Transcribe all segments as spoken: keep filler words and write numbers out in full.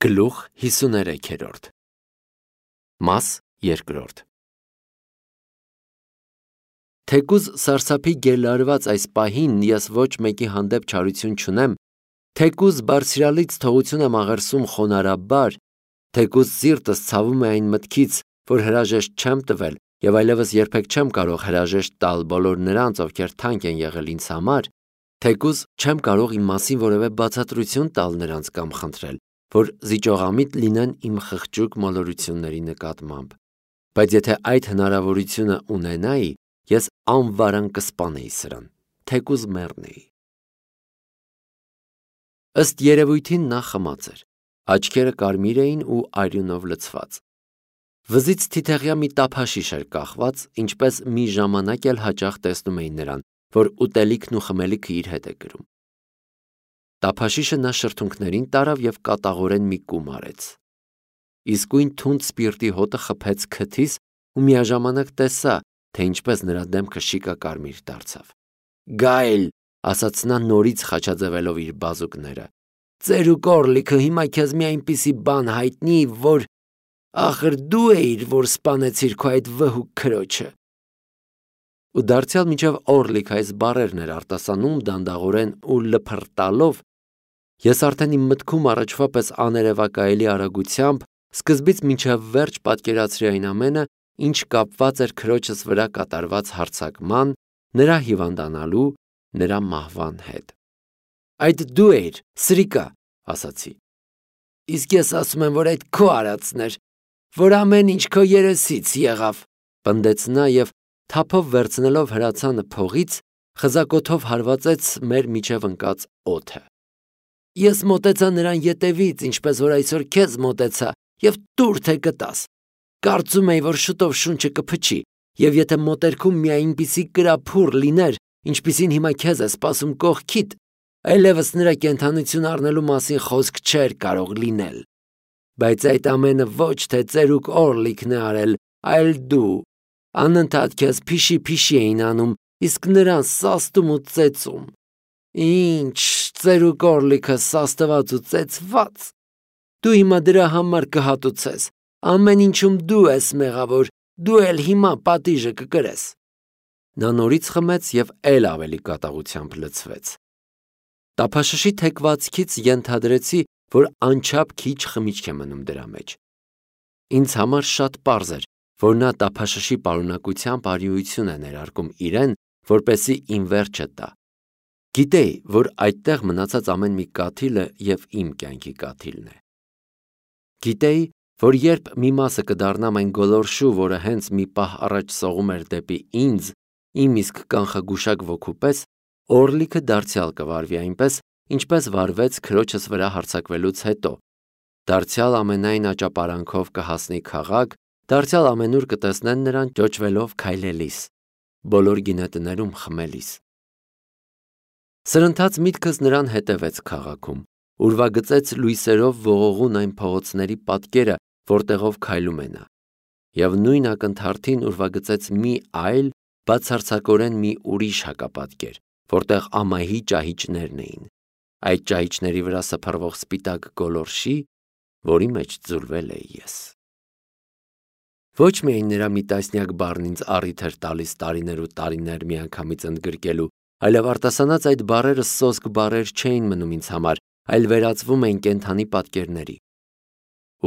Գլուխ հիսուներեքերորդ Մաս երկրորդ Թեկուզ սարսափի գելարված այս պահին ես ոչ մեկի հանդեպ չարություն չունեմ, թեկուզ բարձրալից թողություն եմ աղերսում խոնարհաբար, թեկուզ սիրտս ցավում է այն մտքից, որ հրաժեշտ չեմ տվել եւ այլևս երբեք չեմ կարող հրաժեշտ տալ բոլոր նրանց, ովքեր թանկ են եղել ինձ համար, թեկուզ չեմ կարող իմ մասին որևէ բացատրություն տալ նրանց կամ խնդրել, որ զիջողամիտ լինեն իմ խղճուկ մոլորությունների նկատմամբ, բայց եթե այդ հնարավորությունը ունենայի, ես անվարան կսպանեի սրան, թեկուզ մեռնեի։ Ըստ երևույթին նա խմած էր, աչքերը կարմիր էին ու արյունով լցված։ Վզից թիթեղյա մի տափաշիշ էր կախված, ինչպես մի ժամանակ էլ հաճախ տեսնում էին նրան, որ ուտելիքն ու խմելիքը իր հետ է կրում։ Տափաշիշը նա շրթունքներին տարավ և կատաղորեն մի կում արեց։ Իսկույն թունդ սպիրտի հոտը խփեց քթիս ու միաժամանակ տեսա, թե ինչպես նրա դեմքը շիկակարմիր դարձավ։ Գայլ, ասաց նա նորից խաչաձևելով իր բազուկները, ծերուկ օրլիքը հիմա քեզ մի այնպիսի բան հայտնի, որ ախր դու էիր, որ սպանեցիր քո այդ վհուկ քրոջը։ Ու դարձյալ մինչև օրլիք այս բառերն էր արտասանում դանդաղորեն ու լփրտալով, ես արդեն իմ մտքում առաջվա պես աներևակայելի արագությամբ սկզբից մինչև վերջ պատկերացրի այն ամենը, ինչ կապված էր քրոջս վրա կատարված հարձակման, նրա հիվանդանալու, նրա մահվան հետ։ Այդ դու էիր, սրիկա, ասացի։ Իսկ ես ասում եմ, որ այդ քո արածն էր, որ ամեն ինչ քո երեսից եղավ, պնդեց նա և թափով վերցնելով հրացանը փողից, խզակոթով հարվածեց մեր միջև ընկած օդը։ Ես մոտեցա նրան ետևից, ինչպես որ այսօր քեզ մոտեցա, և տուր թե կտաս։ Կարծում էի, որ շուտով շունչը կփչի, և եթե մոտերքում մի այնպիսի կրափուռ լիներ, ինչպիսին հիմա քեզ է սպասում կողքիդ, այլևս նրա կենդանություն առնելու մասին խոսք չէր կարող լինել։ Բայց այդ ամենը ոչ թե ծերուկ օրլիքն է արել, այլ դու։ Անընդհատ քեզ փիշի-փիշի էին անում, իսկ նրան սաստում ու ծեծում։ Ինչ, ծերուկ օրլիքը սաստված ու ծեծված։ Դու հիմա դրա համար կհատուցես, ամեն ինչում դու ես մեղավոր, դու էլ հիմա պատիժը կկրես։ Նա նորից խմեց և էլ ավելի կատաղությամբ լցվեց։ Տափաշշի թեքվածքից ենթադրեցի, որ անչափ քիչ խմիչք է մնում դրա մեջ։ Ինձ համար շատ պարզ էր, որ նա տափաշշի պարունակությամբ արիություն է ներարկում իրեն, որպեսզի իմ վերջը տա։ Գիտեի, որ այդտեղ մնացած ամեն մի կաթիլը և իմ կյանքի կաթիլն է։ Գիտեի, որ երբ մի մասը կդառնամ այն գոլորշու, որը հենց մի պահ առաջ սողում էր դեպի ինձ, իմ իսկ կանխագուշակ ոգու պես, օրլիքը դարձյալ կվարվի այնպես, ինչպես վարվեց քրոջս վրա հարձակվելուց հետո, դարձյալ ամենայն աճապարանքով կհասնի քաղաք, դարձյալ ամենուր կտեսնեն նրան ճոճվելով քայլելիս, բոլոր գինետներում խմելիս։ Սրընթաց միտքս նրան հետևեց քաղաքում, ուրվագծեց լույսերով ողողուն այն փողոցների պատկերը, որտեղով քայլում է նա, և նույն ակնթարթին ուրվագծեց մի այլ, բացարձակորեն մի ուրիշ հակապատկեր, որտեղ ամահի ճահիճներն էին, այդ ճահիճների վրա սփռվող սպիտակ գոլորշի, որի մեջ ձուլվել էի ես։ Ոչ միայն նրա մի տասնյակ բառն ինձ առիթ էր տալիս տարիներ ու տարիներ միանգամից ընդգրկելու, այլև արտասանած այդ բառերը սոսկ բառեր չէին մնում ինձ համար, այլ վերածվում էին կենդանի պատկերների։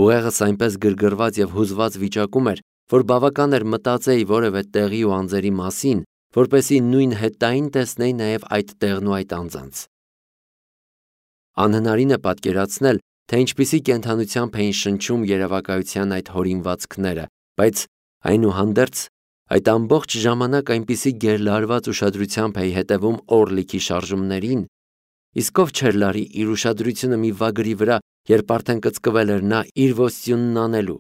Ուղեղս այնպես գրգռված և հուզված վիճակում էր, որ բավական էր մտածեի որևէ տեղի ու անձերի մասին, որպեսզի նույն հետագային տեսնեի նաև այդ տեղն ու այդ անձանց։ Անհնարին է պատկերացնել, թե ինչպիսի կենդանությամբ էին շնչում երևակայության այդ հորինվածքները, բայց այնուհանդերձ այդ ամբողջ ժամանակ այնպիսի գերլարված ուշադրությամբ էի հետևում օրլիքի շարժումներին, իսկ ով չէր լարի իր ուշադրությունը մի վագրի վրա, երբ արդեն կծկվել էր նա իր ոստյունն անելու,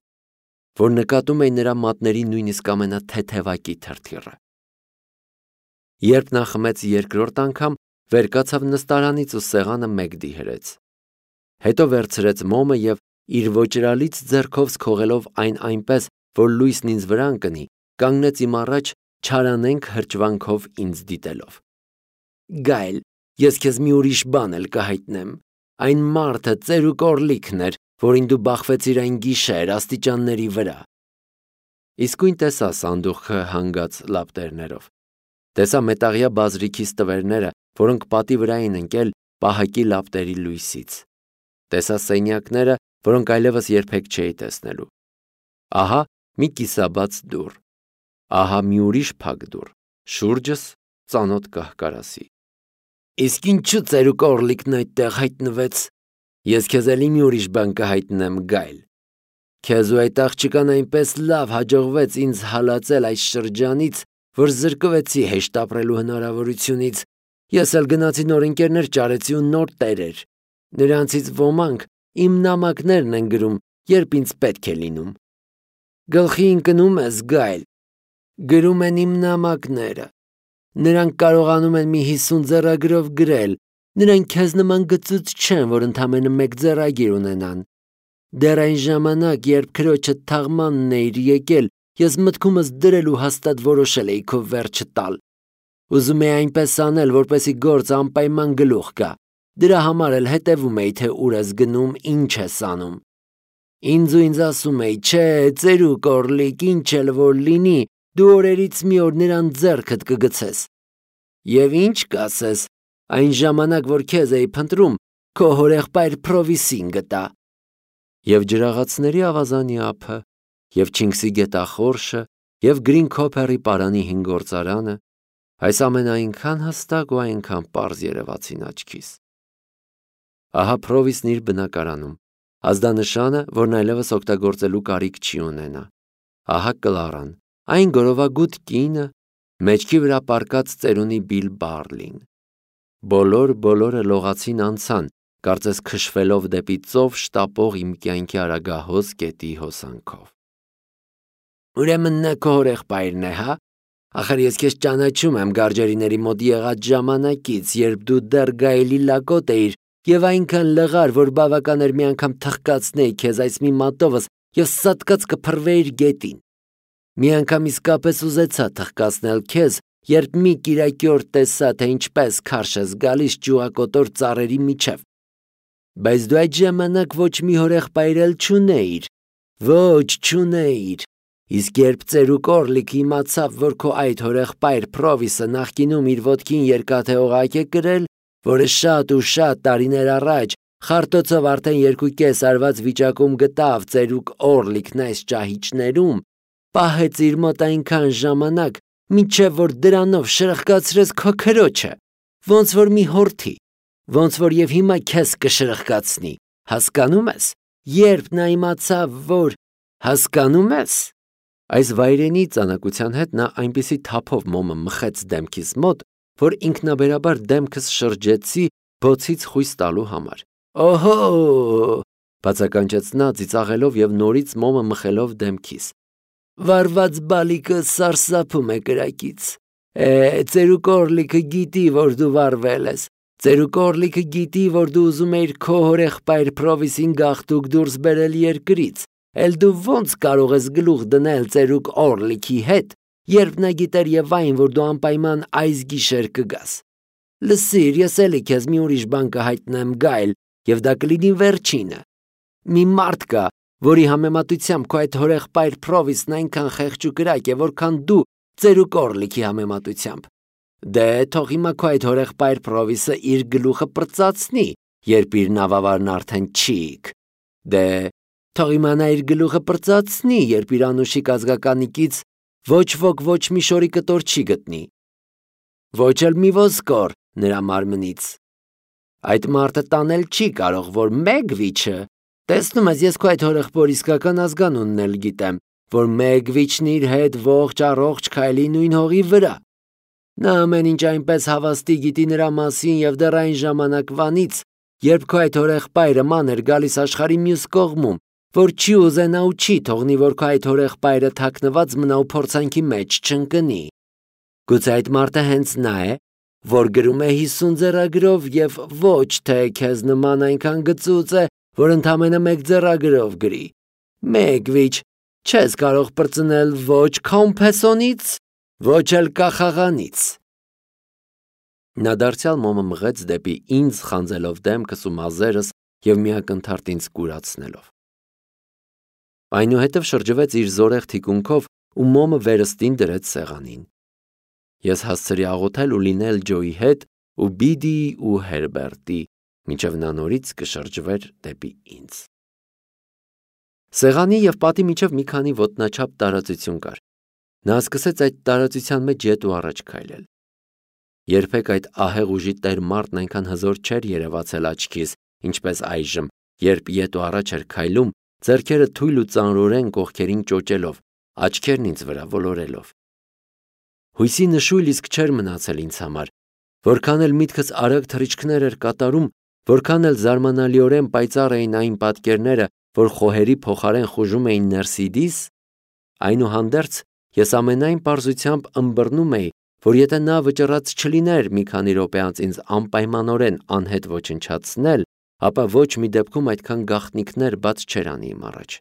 որ նկատում էի նրա մատների նույնիսկ ամենաթեթևակի թրթիռը։ Երբ նա խմեց երկրորդ անգամ, վեր կացավ նստարանից ու սեղանը մեկ դիհրեց։ Հետո վերցրեց մոմը և իր ոճրալից ձեռքով սքողելով այն այնպես, որ լույսն ինձ վրա ընկնի, կանգնեց իմ առաջ չարանենգ հրճվանքով ինձ դիտելով։ Գայլ, ես քեզ մի ուրիշ բան էլ կհայտնեմ, այն մարդը ծերուկ օրլիքն էր, որին դու բախվեցիր այն գիշեր աստիճանների վրա։ Իսկույն տեսա սանդուղքը հանգած լապտերներով։ Տեսա մետաղյա բազրիքի ստվերները, որոնք պատի վրա էին ընկել պահակի լապտերի լույսից։ Տեսա սենյակները, որոնք այլևս երբեք չէի տեսնելու։ Ահա մի կիսաբաց դուռ։ Ահա մի ուրիշ փակ դուռ, շուրջս ծանոթ կահկարասի։ Իսկ ինչու ծերուկ Օրլիկն այդտեղ հայտնվեց։ Ես քեզ էլի մի ուրիշ բան կհայտնեմ, Գայլ։ Քեզ ու այդ աղջկան այնպես լավ հաջողվեց ինձ հալածել այս շրջանից, որ զրկվեցի հեշտ ապրելու հնարավորությունից։ Ես էլ գնացի նոր ընկերներ ճարեցի ու նոր տերեր։ Նրանցից ոմանք իմ նամակներն են գրում, երբ ինձ պետք է լինում։ Գլխի ընկնում ես, Գայլ։ Գրում են իմ նամակները։ Նրանք կարողանում են մի հիսուն ձեռագրով գրել։ Նրանք քեզ նման գծուծ չեն, որ ընդամենը մեկ ձեռագիր ունենան։ Դեռ այն ժամանակ, երբ քրոջդ թաղմանն էիր եկել, ես մտքումս դրել ու հաստատ որոշել էի քո վերջը տալ։ Ուզում էի այնպես անել, որպեսզի գործը անպայման գլուխ գա։ Դրա համար էլ հետևում էի, թե ուր ես գնում, ինչ ես անում։ Ինձ ու ինձ ասում էի, չէ, ծերուկ Օրլիկ, ինչ էլ որ լինի, դու օրերից մի օր նրան ձեռքդ կգցես։ Եվ ինչ կասես, այն ժամանակ, որ քեզ էի փնտրում, քո հորեղբայր Փրովիսին գտա։ Եվ ջրաղացների ավազանի ափը, և Չինգսի գետախորշը, և Գրին Քոփերի պարանի հին գործարանը, այս ամենը այնքան հստակ ու այնքան պարզ երևացին աչքիս։ Ահա Փրովիսն իր բնակարանում, ազդանշանը, որն այլևս օգտագործելու կարիք չի ունենա։ Ահա Կլարան, այն գորովագութ կինը, մեջքի վրա պառկած ծերունի Բիլ Բարլին։ Բոլոր բոլորը լողացին անցան, կարծես քշվելով դեպի ծով շտապող իմ կյանքի արագահոս գետի հոսանքով։ Ուրեմն նա քո հորեղբայրն է, հա։ Ախր ես քեզ ճանաչում եմ գարջերիների մոտ եղած ժամանակից, երբ դու դեռ Գայլի լակոտ էիր և այնքան լղար, որ բավական էր մի անգամ թխկացնեի քեզ այս մի մատովս և սատկած կփռվեիր գետին։ Մի անգամ իսկապես ուզեցա թխկացնել քեզ, երբ մի կիրակի օր տեսա, թե ինչպես քարշ ես գալիս ճյուղակոտոր ծառերի միջև։ Բայց դու այդ ժամանակ ոչ մի հորեղբայր էլ չունեիր։ Ոչ, չունեիր։ Իսկ երբ ծերուկ Օրլիկը իմացավ, որ քո այդ հորեղբայր Փրովիսը նախկինում իր ոտքին երկաթե օղակ է կրել, որը շատ ու շատ տարիներ առաջ խարտոցով արդեն երկու կես արված վիճակում գտավ ծերուկ Օրլիկն այս ճահիճներում, պահեց իր մոտ այնքան ժամանակ, մինչև որ դրանով շրխկացրեց քո քրոջը, ոնց որ մի հորթի, ոնց որ և հիմա քեզ կշրխկացնի, հասկանում ես, երբ նա իմացավ, որ… հասկանում ես… Այս վայրենի ծանակության հետ նա այնպիսի թափով մոմը մխեց դեմքիս մոտ, որ ինքնաբերաբար դեմքս շրջեցի բոցից խույս տալու համար։ Օհո՜, բացականչեց նա ծիծաղելով և նորից մոմը մխելով դեմքիս։ Վարված բալիկը սարսափում է կրակից։ Է, ծերուկ Օրլիկը գիտի, որ դու վարվել ես։ Ծերուկ Օրլիկը գիտի, որ դու ուզում էիր քո հորեղբայր Փրովիսին գաղտուկ դուրս բերել երկրից, էլ դու ոնց կարող ես գլուխ դնել ծերուկ Օրլիկի հետ, երբ նա գիտեր և այն, որ դու անպայման այս գիշեր կգաս։ Լսիր, ես էլի քեզ մի ուրիշ բան կհայտնեմ, Գայլ, և դա կլինի վերջինը։ Մի մարդ կա, որի համեմատությամբ քո այդ հորեղբայր Փրովիսն այնքան խեղճ ու կրակ է, որքան դու ծերուկ Օրլիկի համեմատությամբ։ Դե թող հիմա քո այդ հորեղբայր Փրովիսը իր գլուխը պրծացնի, երբ իր նավավարն արդեն չիք։ Դե թող հիմա նա իր գլուխը պրծացնի, երբ իր անուշիկ ազգականիկից ոչ ոք ոչ մի շորի կտոր չի գտնի։ Ոչ էլ մի ոսկոր նրա մարմնից։ Այդ մարդը տանել չի կարող, որ Մեգվիչը… Տեսնում ես, ես քո այդ հորեղբոր իսկական ազգանունն էլ գիտեմ, որ Մեգվիչն իր հետ ողջ առողջ քայլի նույն հողի վրա։ Նա ամեն ինչ այնպես հավաստի գիտի նրա մասին և դեռ այն ժամանակվանից, երբ քո այդ հորեղբայրը ման էր գալիս աշխարհի մյուս կողմում, որ չի ուզենա ու չի թողնի, որ քո այդ հորեղբայրը թաքնված մնա ու փորձանքի մեջ չընկնի։ Գուցե այդ մարդը հենց նա է, որ գրում է հիսուն ձեռագրով և ոչ թե քեզ նման այնքան գծուծ է, որ ընդամենը մեկ ձեռագրով գրի։ Մեգվիչ, չես կարող պրծնել ոչ Քոմփեսոնից, ոչ էլ կախաղանից։ Նա դարձյալ մոմը մղեց դեպի ինձ, խանձելով դեմքս ու մազերս և մի ակնթարթ ինձ կուրացնելով։ այնուհետև շրջվեց իր զորեղ թիկունքով ու մոմը վերստին դրեց սեղանին։ Ես հասցրի աղոթել ու լինել Ջոյի հետ ու Բիդիի ու Հերբերտի, մինչև նա նորից կշրջվեր դեպի ինձ։ Սեղանի և պատի միջև մի քանի ոտնաչափ տարածություն կար։ Նա սկսեց այդ տարածության մեջ ետ ու առաջ քայլել։ Երբեք այդ ահեղ ուժի տեր մարդն այնքան հզոր չէր երևացել աչքիս, ինչպես այժմ, երբ ետ ու առաջ էր քայլում, ձեռքերը թույլ ու ծանրորեն կողքերին ճոճելով, աչքերն ինձ վրա ոլորելով։ Հույսի նշույլ իսկ չէր մնացել ինձ համար, որքան էլ միտքս արագ թռիչքներ էր կատարում, որքան էլ զարմանալիորեն պայծառ էին այն պատկերները, որ խոհերի փոխարեն խուժում էին ներսիդիս, այնուհանդերձ ես ամենայն պարզությամբ ըմբռնում էի, որ եթե նա վճռած չլիներ մի քանի րոպե անց ինձ անպայմանորեն անհետ ոչնչացնել, ապա ոչ մի դեպքում այդքան գաղտնիքներ բաց չէր անի իմ առաջ։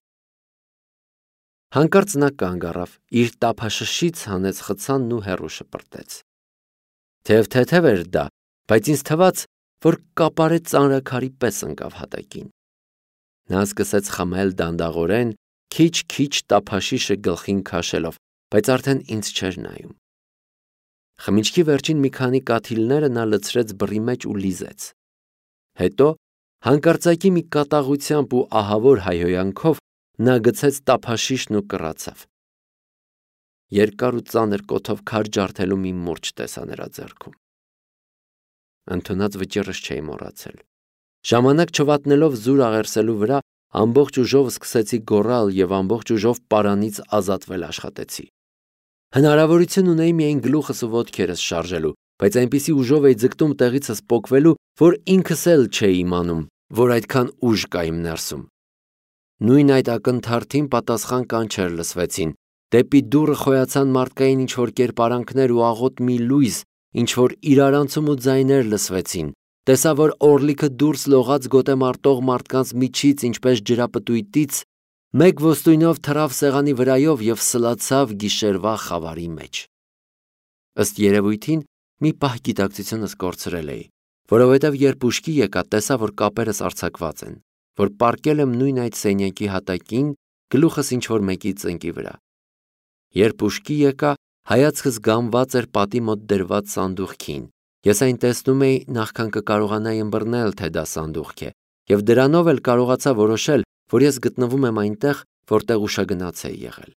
Հանկարծ նա կանգ առավ, իր տափաշշից հանեց խցանն ու հեռու շպրտեց։ Թեև թեթև էր դա, բայց ինձ թվաց, որ կապարե ծանրաքարի պես ընկավ հատակին։ Նա սկսեց խմել դանդաղորեն, քիչ-քիչ տափաշիշը գլխին քաշելով, բայց արդեն ինձ չէր նայում։ Խմիչքի վերջին մի քանի կաթիլները նա լցրեց բռի մեջ ու լիզեց։ Հետո, հանկարծակի մի կատաղությամբ ու ահավոր հայհոյանքով նա գցեց տափաշիշն ու կռացավ։ Երկար ու ծանր կոթով քար ջարդելու մի մուրջ տեսա նրա ձեռքում։ Ընդունած վճիռս չէի մոռացել։ Ժամանակ չվատնելով զուր աղերսելու վրա, ամբողջ ուժով սկսեցի գոռալ և ամբողջ ուժով պարանից ազատվել աշխատեցի։ Հնարավորություն ունեի միայն գլուխս ու ոտքերս շարժելու, բայց այնպիսի ուժով էի ձգտում տեղիցս պոկվելու, որ ինքս էլ չէի իմանում, որ այդքան ուժ կա իմ ներսում։ Նույն այդ ակնթարթին պատասխան կանչեր լսվեցին, դեպի դուռը խոյացան մարդկային ինչ-որ կերպարանքներ ու աղոտ մի լույս, ինչ-որ իրարանցում ու ձայներ լսվեցին, տեսա, որ օրլիքը դուրս լողաց գոտեմարտող մարդկանց միջից, ինչպես ջրապտույտից, մեկ ոսტույնով թռավ սեղանի վրայով և սլացավ գիշերվա խավարի մեջ։ Ըստ երևույթին, մի պահ գիտակցությունս կորցրել էի, որովհետև երբ ուշքի եկա, տեսա, որ կապերս արձակված են, որ պառկել եմ նույն այդ սենյակի հատակին, գլուխս ինչ-որ մեկի ծնկի վրա։ Երբ ուշքի եկա, հայացքս գամված էր պատի մոտ դրված սանդուղքին։ Ես այն տեսնում էի, նախքան կկարողանայի ըմբռնել, թե դա սանդուղք է, և դրանով էլ կարողացա որոշել, որ ես գտնվում եմ այնտեղ, որտեղ ուշագնաց էի եղել։